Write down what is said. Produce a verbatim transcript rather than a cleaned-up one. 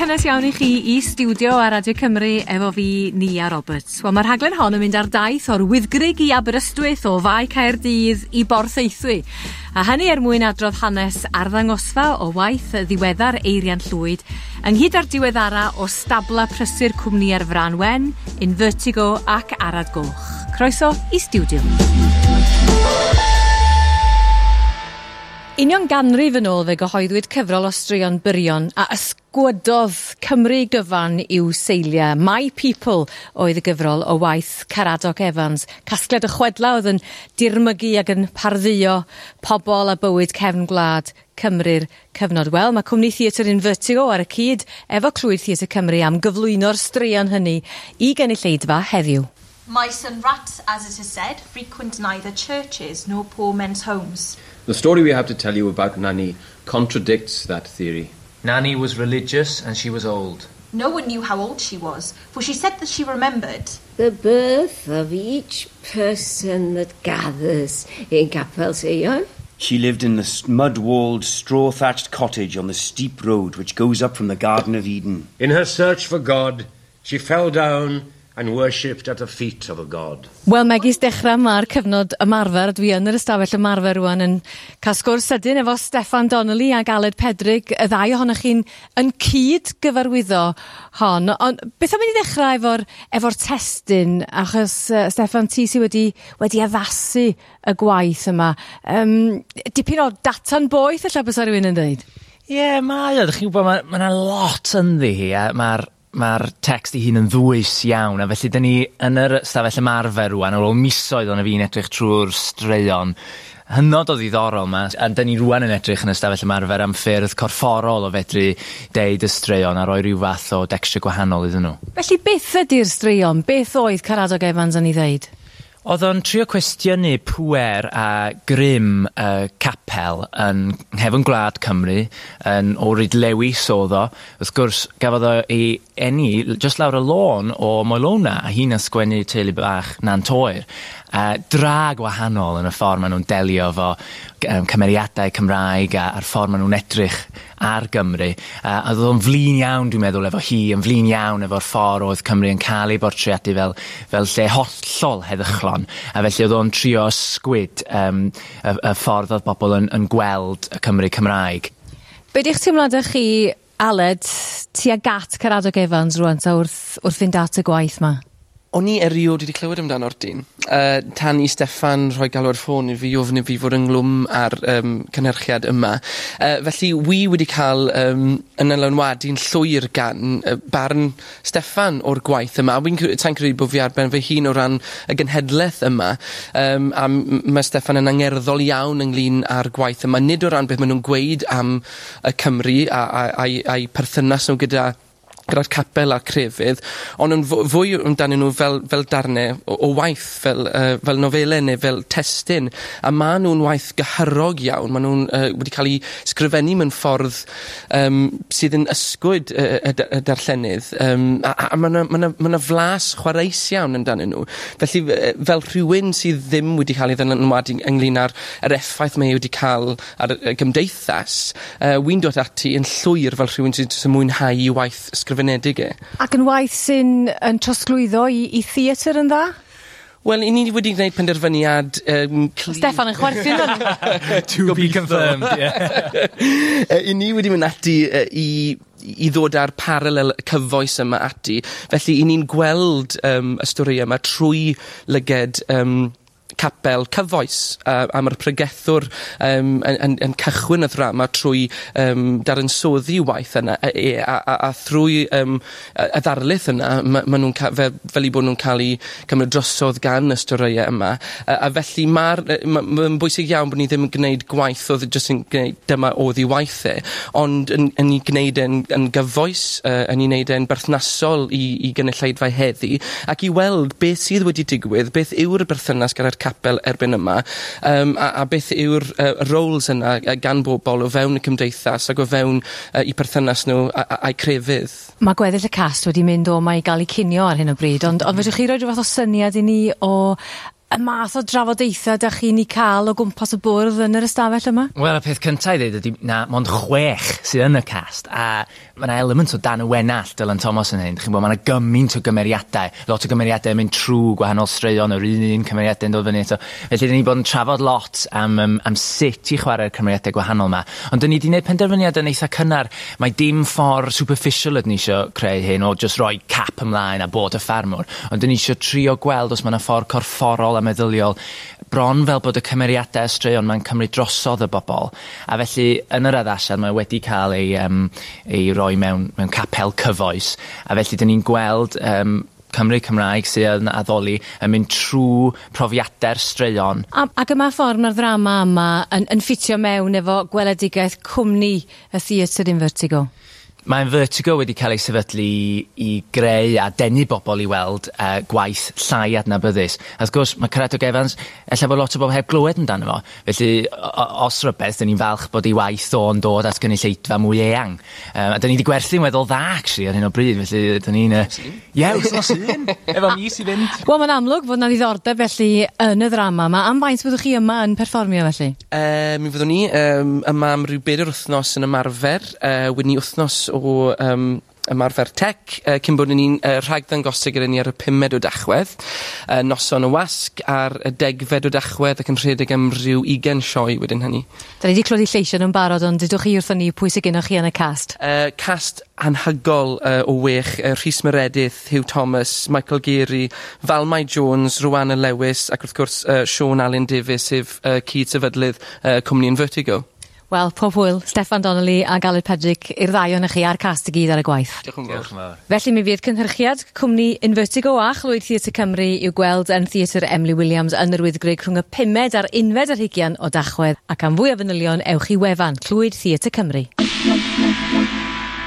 cynnes iawn i chi i stiwdio ar Radio Cymru efo fi, Nia Roberts. Wel, mae'r rhaglen hon yn mynd ar daith o'r Wyddgrug i Aberystwyth, o Fae Caerdydd i Borthaethwy. A hynny er mwyn adrodd hanes arddangosfa o waith ddiweddar Eirian Llwyd, ynghyd â'r diweddara o stabla prysur cwmni ar Frân Wen, Invertigo ac Arad Goch. Croeso i stiwdio. Union ganrif yn ôl fe gyhoeddwyd cyfrol o straeon byrion a ysgwydodd Cymru gyfan i'w seiliau. My People oedd y gyfrol o waith Caradoc Evans. Casgliad o chwedla oedd yn dirmygu ac yn pardduo pobl a bywyd cefn gwlad Cymru'r cyfnod. Wel, mae cwmni theatr Invertigo ar y cyd efo Clwyd Theatr Cymru am gyflwyno'r straeon hynny i gynulleidfa heddiw. Mice and rats, as it is said, frequent neither churches nor poor men's homes. The story we have to tell you about Nanny contradicts that theory. Nanny was religious and she was old. No one knew how old she was, for she said that she remembered the birth of each person that gathers in Capel Seion. She lived in the mud-walled, straw-thatched cottage on the steep road which goes up from the Garden of Eden. In her search for God, she fell down and worshipped at the feet of a god. Wel, megis dechrau mae'r cyfnod ymarfer. Dwi yn yr ystafell ymarfer rwan yn cael sgwrs sydyn efo Steffan Donnelly ac Aled Pedrig. Y ddau ohonoch chi'n yn cyd gyfarwyddo hon. Ond beth am i ni ddechrau efo'r efo testun, achos uh, Steffan, ti sydd wedi, wedi addasu y gwaith yma. Um, dipyn o data'n boeth, ella bysa rhywun yn dweud? Ie, yeah, mae o. Dych chi'n gwybod, mae ma 'na lot ynddi hi. A mae'r Mae'r text ei hun yn ddwys iawn, a felly dyn ni yn yr stafell ymarfer rwan, ar ôl misoedd o'n fi'n edrych trwy'r straeon hynod o ddiddorol yma, a dyn ni rwan yn edrych yn y stafell ymarfer am ffyrdd corfforol o fedru deud y straeon a roi rhyw fath o dexture gwahanol iddyn nhw. Felly beth ydy'r straeon? Beth oedd Caradog Evans yn ei ddeud? Oedd o'n trio cwestiynu pŵer a grym y capel yn nghefn gwlad Cymru, yn o Rydlewis oedd o. Wrth gwrs, gafodd o ei eni jyst lawr y lôn o Moelona, a hi'n ysgwennu teulu bach Nant Oer. Uh, dra gwahanol yn y ffordd maen nhw'n delio efo um, cymeriadau Cymraeg a, a'r ffordd maen nhw'n edrych ar Gymru. Uh, a oedd o'n flin iawn, dwi'n meddwl, efo hi, yn flin iawn efo'r ffordd oedd Cymru yn cael ei bortreadu fel, fel lle hollol heddychlon. A felly oedd o'n trio ysgwyd um, y, y ffordd oedd bobl yn, yn gweld y Cymru Cymraeg. Be di'ch teimladau chi, Aled, tuag at Caradog Evans rwan ta wrth, wrth fynd at y gwaith ma? O'n i erioed wedi clywed amdano'r dyn. Uh, tan i Steffan rhoi galw ar ffôn i fi ofyn i fi fod ynghlwm ar um, cynhyrchiad yma. Uh, felly, wi wedi cael um, yn dylanwadu'n llwyr gan uh, barn Steffan o'r gwaith yma. A wi'n ta'n credu bod fi ar ben fy hun o ran y genhedlaeth yma. Um, a mae Steffan yn angerddol iawn ynglyn â'r gwaith yma. Nid o ran beth maen nhw'n gweud am y Cymru a, a, a'i, a'i perthynas nhw gyda gyda'r capel a'r crefydd, ond yn fwy amdanyn nhw fel, fel darnau o, o waith, fel, uh, fel nofelau neu fel testun. A maen nhw'n waith gyhyrog iawn, maen nhw'n uh, wedi cael eu sgrifennu mewn ffordd um, sydd yn ysgwyd y, y, y darllenydd. Um, a a mae yna ma ma ma flas chwareus iawn amdanyn nhw. Felly, fel rhywun sydd ddim wedi cael ei ddylanwadu ynglyn â'r yr effaith mae wedi cael ar y gymdeithas, uh, wy'n dod ati yn llwyr fel rhywun sydd yn mwynhau i waith ysgrifennu. Ac yn waith sy'n yn trosglwyddo i, i theatr yn dda? Wel, i ni wedi gwneud penderfyniad um, clir. Steffan yn chwerthin. To be confirmed, yeah. I ni wedi mynd ati uh, i i ddod â'r paralel cyfoes yma ati. Felly, i ni'n gweld um, y stori yma trwy lyged um, capel cyfoes, uh, a mae'r pregethwr um, yn, yn, yn cychwyn y ddrama trwy um, dadansoddi waith yna, e, a, a, a thrwy um, y ddarlith yna, ma, ma nhw'n ca, fel, fel i bod nhw'n cael eu cymryd drosodd gan y storïau yma. A, a felly mae'r ma, ma bwysig iawn bod ni ddim yn gwneud gwaith oedd jyst yn gwneud dyma oedd ei waith e, ond yn, yn ei gwneud e'n yn gyfoes, uh, yn ei wneud e'n berthnasol i, i gynulleidfa heddi, ac i weld beth sydd wedi digwydd, beth yw'r berthynas gyda'r capel erbyn yma, um, a, a beth yw'r uh, roles yna gan bobl o fewn y cymdeithas ac o fewn uh, i perthynas nhw a'u crefydd. Mae gweddill y cast wedi mynd o ma i gael eu cinio ar hyn o bryd, ond, ond fedrwch chi roi rhyw fath o syniad i ni o y math o drafodaethau 'dach chi'n 'u ca'l o gwmpas y bwrdd yn yr ystafell yma? Wel, y peth cynta i ddeud ydi na mond chwech sydd yn y cast, a ma' 'na element o Dan y Wenallt Dylan Thomas yn hyn. Chi'n gwbod, ma' 'na gymaint o gymeriadau, lot o gymeriadau yn mynd trw gwahanol straeon, yr un un cymeriadau'n dod fyny eto. Felly, 'dyn ni bod yn trafod lot am, um, am sut i chwarae'r cymeriadau gwahanol 'ma. Ond 'dyn ni 'di neud penderfyniad yn eitha cynnar, mae dim ffordd superficial ydyn ni isio creu hyn o just roi cap ymlaen a bod y ffarmwr. Ond 'dyn ni isio trio gweld os ma' 'na ffordd corfforol a meddyliol bron fel bod y cymeriadau y straeon ma'n cymryd drosodd y bobl. A felly yn yr addasiad mae wedi cael ei, um, ei roi mewn, mewn capel cyfoes. A felly 'dyn ni'n gweld um, Cymru Cymraeg sydd yn addoli yn mynd trwy profiadau'r straeon. A, ac yma ffordd mae'r ddrama yma yn, yn ffitio mewn efo gweledigaeth cwmni y theatr Invertigo? Mae Invertigo wedi cael ei sefydlu i greu a denu bobl i weld uh, gwaith llai adnabyddus. A wrth gwrs, mae Caradog Evans, ella bod lot o bobl heb glywed amdano fo. Felly, os rhywbeth, dyn ni'n falch bod ei waith o'n dod at gynulleidfa mwy eang. Um, a dyn ni wedi gwerthu'n weddol dda, actually, ar hyn o bryd. Felly, dyn ni'n... Uh, Ie, wythnos un, efo mis i fynd. Wel, mae'n amlwg fod 'na ddiddordeb felly yn y ddrama yma. Am faint byddwch chi yma yn perfformio felly? Uh, mi fyddwn ni um, yma am ryw bedair wythnos yn ymarfer. Uh, wedyn ni wythnos o um, ymarfer tech, uh, cyn bod ni'n uh, rhagddangosau gyda ni ar y pumed o Dachwedd, uh, noson y wasg ar y degfed o Dachwedd ac yn rhedeg am ryw ugain sioe wedyn hynny. Da ni wedi clywed lleisiau nhw'n barod, ond dydwch chi wrthon ni pwy sydd gennych chi yn y cast? Uh, cast anhygol uh, o wech, uh, Rhys Meredith, Hugh Thomas, Michael Geary, Valmai Jones, Rowanna Lewis ac wrth gwrs uh, Sean Alun Davies, sef uh, cyd-sefydlydd uh, cwmni Invertigo. Wel, pob hwyl, Steffan Donnelly a Aled Pedrick i'r ddau ohonoch chi a'r cast i gyd ar y gwaith. Diolch yn fawr. Felly mi fydd cynhyrchiad cwmni Invertigo a Chlwyd Theatr Cymru i'w gweld yn Theatr Emily Williams yn yr Wyddgrug rhwng y pumed a'r unfed ar hugian o Dachwedd, ac am fwy o fanylion ewch i wefan Clwyd Theatr Cymru.